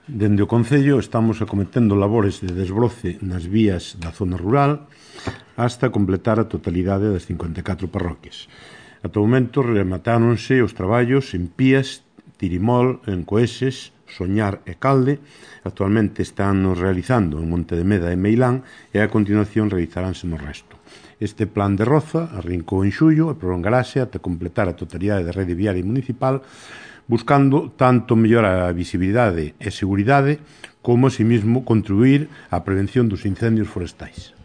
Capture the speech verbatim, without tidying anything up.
Dende o Concello estamos acometendo labores de desbroce nas vías da zona rural hasta completar a totalidade das cincuenta e catro parroquias. Ata o momento rematáronse os traballos en Pías, Tirimol, en Coeses, Soñar e Calde. Actualmente están realizando en Monte de Meda e Meilán e a continuación realizaránse no resto. Este plan de Roza arrincou en xullo e prolongarase ata completar a totalidade da rede viaria municipal, buscando tanto mellorar a visibilidade e seguridade como, asimismo, contribuir á prevención dos incendios forestais.